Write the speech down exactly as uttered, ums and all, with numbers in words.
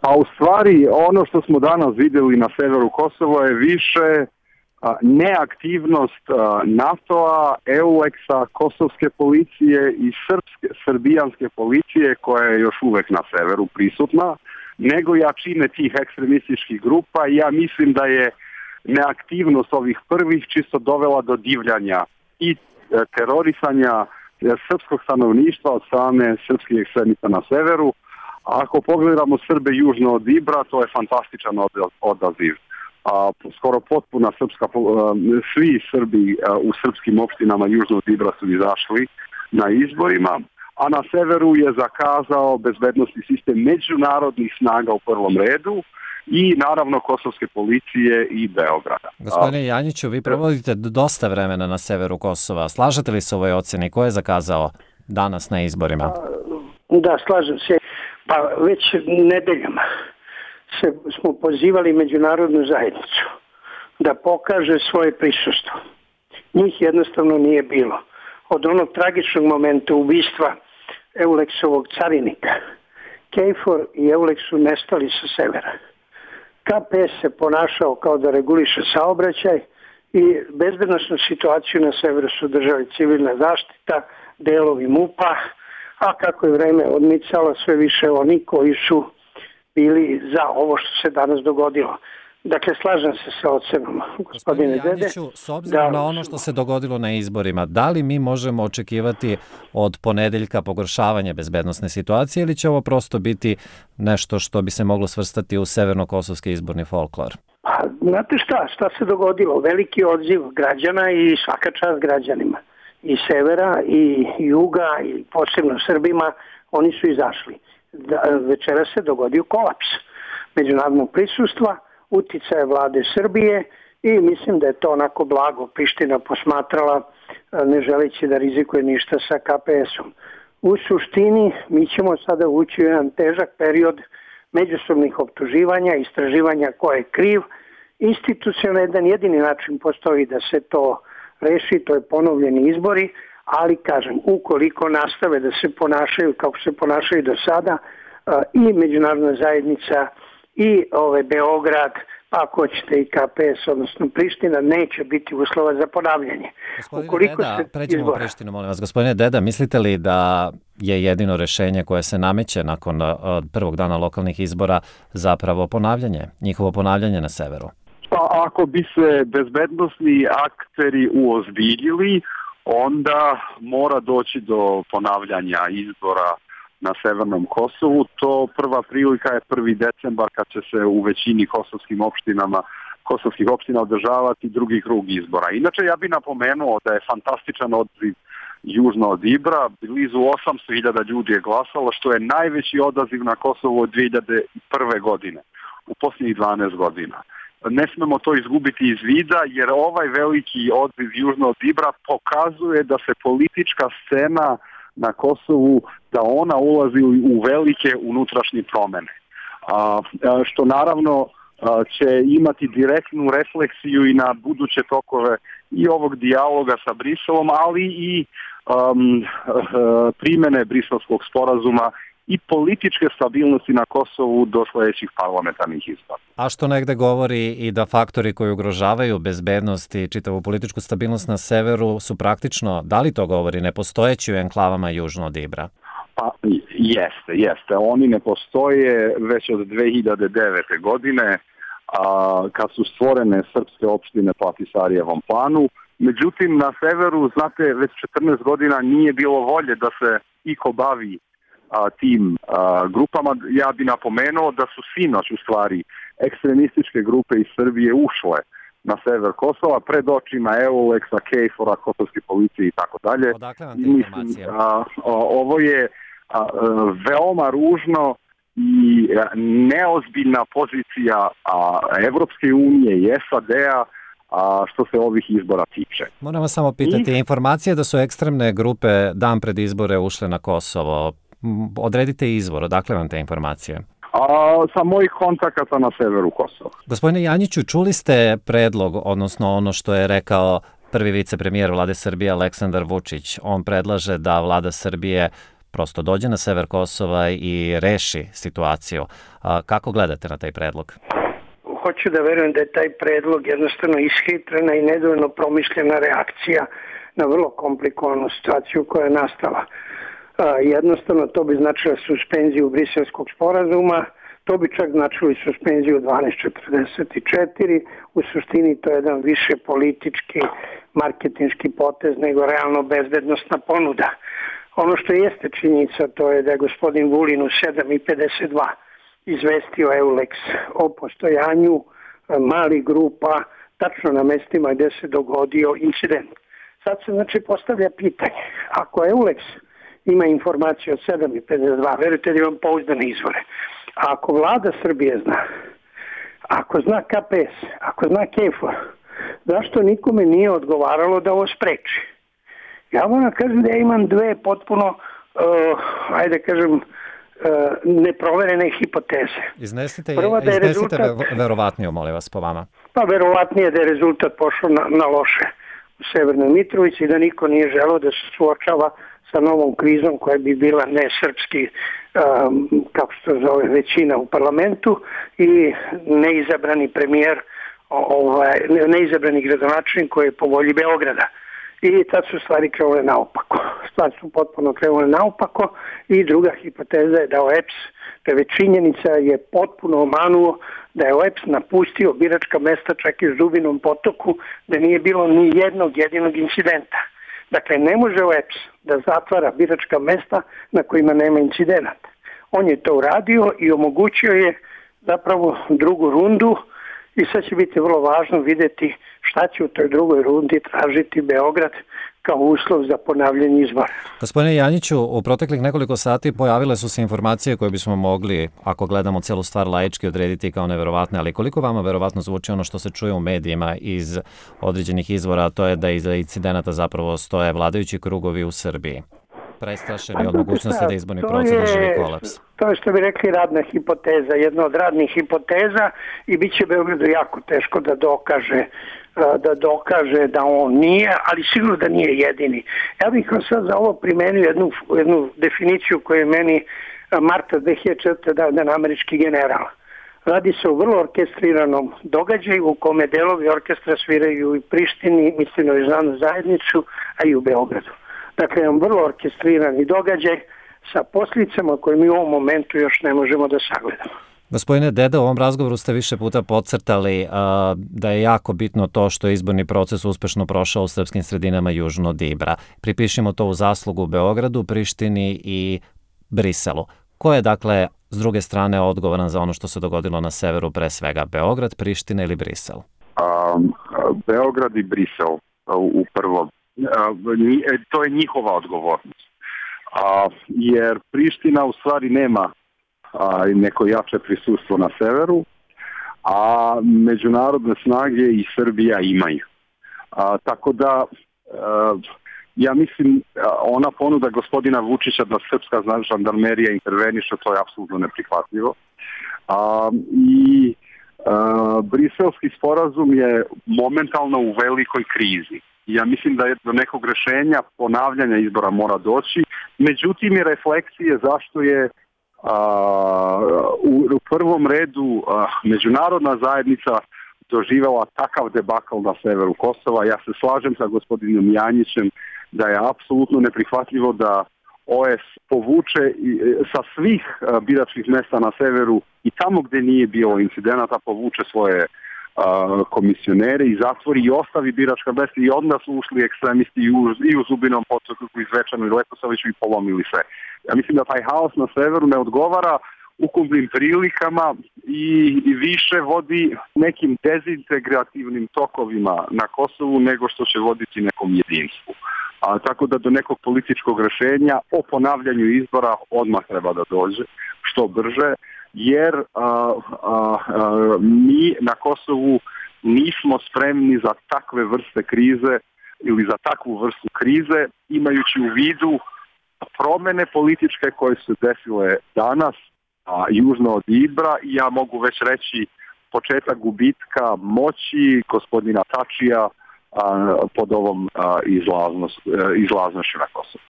A u stvari ono što smo danas vidjeli na severu Kosova je više a, neaktivnost a, NATO-a, EULEX-a, kosovske policije i srpske, srbijanske policije koja je još uvek na severu prisutna, nego jačine tih ekstremističkih grupa. I ja mislim da je neaktivnost ovih prvih čisto dovela do divljanja i e, terorisanja e, srpskog stanovništva od strane srpskih ekstremista na severu. A ako pogledamo Srbe južno od Ibra, to je fantastičan odaziv. A, skoro potpuna srpska, a, svi Srbi a, u srpskim opštinama južno od Ibra su izašli na izborima, a na severu je zakazao bezbednosni sistem međunarodnih snaga u prvom redu i naravno kosovske policije i Beograda. Gospodine Janjiću, vi provodite dosta vremena na severu Kosova. Slažete li se u ovoj ocjeni? Ko je zakazao danas na izborima? Da, slažem se. Pa već nedeljama se smo pozivali međunarodnu zajednicu da pokaže svoje prisustvo. Njih jednostavno nije bilo. Od onog tragičnog momenta ubistva EULEX-ovog carinika, KFOR i EULEX su nestali sa severa. K P S se ponašao kao da reguliše saobraćaj i bezbednosnu situaciju na severu su držali civilna zaštita, delovi M U P-a, a kako je vreme odmicalo, sve više oni koji su bili za ovo što se danas dogodilo. Dakle, slažem se sa ocenom, gospodine Dede. Gospodine Janjiću, s obzirom da, na ono što se dogodilo na izborima, da li mi možemo očekivati od ponedeljka pogoršavanje bezbednosne situacije ili će ovo prosto biti nešto što bi se moglo svrstati u severno-kosovski izborni folklor? Pa, znate šta, šta se dogodilo? Veliki odziv građana i svaka čast građanima. I severa, i juga, i posebno Srbima, oni su izašli. Da, večera se dogodio kolaps međunarodnog prisustva, uticaje vlade Srbije i mislim da je to onako blago Priština posmatrala, ne želeći da rizikuje ništa sa K P S-om. U suštini mi ćemo sada ući u jedan težak period međusobnih optuživanja, istraživanja ko je kriv. Institucionalno jedan jedini način postoji da se to reši, to je ponovljeni izbori, ali kažem, ukoliko nastave da se ponašaju kako se ponašaju do sada, i međunarodna zajednica i ovaj Beograd, pa ako hoćete i K P S, odnosno Priština, neće biti uslova za ponavljanje. Gospodine ukoliko Deda, se pređemo izbora... u Prištinu, molim vas. Gospodine Deda, mislite li da je jedino rešenje koje se nameće nakon prvog dana lokalnih izbora zapravo ponavljanje, njihovo ponavljanje na severu? Pa ako bi se bezbednosni akteri uozbiljili, onda mora doći do ponavljanja izbora na severnom Kosovu. To prva prilika je prvi decembar kad će se u većini kosovskim opštinama, kosovskih opština održavati drugi krug izbora. Inače, ja bih napomenuo da je fantastičan odziv južno od Ibra. Blizu osamsto hiljada ljudi je glasalo, što je najveći odaziv na Kosovu od dve hiljade prve. godine, u posljednjih dvanaest godina. Ne smemo to izgubiti iz vida, jer ovaj veliki odziv južno od Ibra pokazuje da se politička scena na Kosovu, da ona ulazi u velike unutrašnje promene. A, što naravno a, će imati direktnu refleksiju i na buduće tokove i ovog dijaloga sa Briselom, ali i um, primene Briselskog sporazuma i političke stabilnosti na Kosovu do sljedećih parlamentarnih izbora. A što negde govori i da faktori koji ugrožavaju bezbednost i čitavu političku stabilnost na severu su praktično, da li to govori, nepostojeći u enklavama južno od Ibra? Pa jeste, jeste. Oni ne postoje već od dve hiljade devete. godine, a, kad su stvorene srpske opštine po Ahtisarijevom planu. Međutim, na severu, znate, već četrnaest godina nije bilo volje da se iko bavi a, tim a, grupama. Ja bi napomenuo da su sinoć u stvari ekstremističke grupe iz Srbije ušle na sever Kosova pred očima EULEX-a, KFOR-a, kosovske policije i tako dalje. Odakle vam te informacije? Ovo je a, a, veoma ružno i neozbiljna pozicija a, Evropske unije i S A D-a a što se ovih izbora tiče. Moram vas samo pitati, I... informacije da su ekstremne grupe dan pred izbore ušle na Kosovo. Odredite izvor, odakle vam te informacije? A, sa mojih kontakata na severu Kosova. Gospodine Janjiću, čuli ste predlog, odnosno ono što je rekao prvi vicepremijer vlade Srbije Aleksandar Vučić. On predlaže da vlada Srbije prosto dođe na sever Kosova i reši situaciju. Kako gledate na taj predlog? Hoću da verujem da je taj predlog jednostavno ishitrena i nedovoljno promišljena reakcija na vrlo komplikovanu situaciju koja je nastala. Jednostavno to bi značilo suspenziju Briselskog sporazuma, to bi čak značilo i suspenziju dvanaest četrdeset četiri, u suštini to je jedan više politički, marketinški potez nego realno bezbednostna ponuda. Ono što jeste činjenica to je da je gospodin Vulin u sedam i pedeset dva izvestio Eulex o postojanju malih grupa tačno na mestima gde se dogodio incident. Sad se znači postavlja pitanje, ako Eulex ima informacije od sedam i pedeset dva, verujte da imam pouzdane izvore, a ako vlada Srbije zna, ako zna K P S, ako zna KFOR, zašto nikome nije odgovaralo da ovo spreči? Ja moram kažem da ja imam dve potpuno, uh, ajde kažem, uh, neproverene hipoteze. Iznesite, Prva, da je iznesite rezultat, verovatnije, molim vas, po vama. Pa verovatnije da je rezultat pošao na, na loše u Severnoj Mitrovici i da niko nije želeo da se suočava sa novom krizom koja bi bila nesrpski, um, kako se to zove, većina u parlamentu i neizabrani premijer, ovaj, neizabrani gradonačelnik koji je po volji Beograda. I tad su stvari krenule naopako. Stvari su potpuno krenule naopako i druga hipoteza je da O E P S, to je već činjenica, je potpuno omanuo da je O E P S napustio biračka mesta čak i u Zubinom potoku, da nije bilo ni jednog jedinog incidenta. Dakle, ne može O E P S da zatvara biračka mesta na kojima nema incidenata. On je to uradio i omogućio je zapravo drugu rundu i sad će biti vrlo važno vidjeti šta će u toj drugoj rundi tražiti Beograd kao uslov za ponavljanje izbora. Gospodine Janjiću, u proteklih nekoliko sati pojavile su se informacije koje bismo mogli, ako gledamo celu stvar laički, odrediti kao neverovatne, ali koliko vama verovatno zvuči ono što se čuje u medijima iz određenih izvora, a to je da iza incidenata zapravo stoje vladajući krugovi u Srbiji? Prestrašeni od mogućnosti da izborni proces doživi kolaps. To je što bi rekli radna hipoteza, jedna od radnih hipoteza i bit će Beogradu jako teško da dokaže da dokaže da on nije, ali sigurno da nije jedini. Ja bih vam sad za ovo primenio jednu, jednu definiciju koju je meni marta dve hiljade četvrte dao jedan američki general. Radi se o vrlo orkestriranom događaju u kome delovi orkestra sviraju i Prištini, mislim o Ižanu zajednicu, a i u Beogradu. Dakle, jedan vrlo orkestrirani događaj sa posljedicama koje mi u ovom momentu još ne možemo da sagledamo. Gospodine Deda, u ovom razgovoru ste više puta podcrtali uh, da je jako bitno to što je izborni proces uspešno prošao u srpskim sredinama južno od Ibra. Pripišimo to u zaslugu Beogradu, Prištini i Briselu. Ko je, dakle, s druge strane odgovoran za ono što se dogodilo na severu, pre svega Beograd, Priština ili Brisel? Um, Beograd i Brisel u prvom. Uh, to je njihova odgovornost. Uh, jer Priština u stvari nema a, neko jače prisustvo na severu, a međunarodne snage i Srbija imaju. A, tako da, a, ja mislim, ona ponuda gospodina Vučića da srpska žandarmerija interveniše, to je apsolutno neprihvatljivo. A, I a, briselski sporazum je momentalno u velikoj krizi. Ja mislim da je do nekog rešenja ponavljanja izbora mora doći, međutim i refleksije zašto je Uh, u, u prvom redu uh, međunarodna zajednica doživjela takav debakl na severu Kosova. Ja se slažem sa gospodinom Janjićem da je apsolutno neprihvatljivo da O E S povuče i, sa svih uh, biračkih mesta na severu i tamo gdje nije bilo incidenata povuče svoje uh, komisionere i zatvori i ostavi biračka mesta i onda su ušli ekstremisti i u, i u Zubinom potoku i Zvečanu i Leposaviću i polomili sve. Ja mislim da taj haos na severu ne odgovara ukupnim prilikama i, i više vodi nekim dezintegrativnim tokovima na Kosovu nego što će voditi nekom jedinstvu. A, tako da do nekog političkog rešenja o ponavljanju izbora odmah treba da dođe što brže, jer a, a, a, mi na Kosovu nismo spremni za takve vrste krize ili za takvu vrstu krize, imajući u vidu promene političke koje su desile danas a, južno od Ibra i ja mogu već reći početak gubitka moći gospodina Tačija a, pod ovom a, izlaznoš, a, izlaznošću na Kosovu.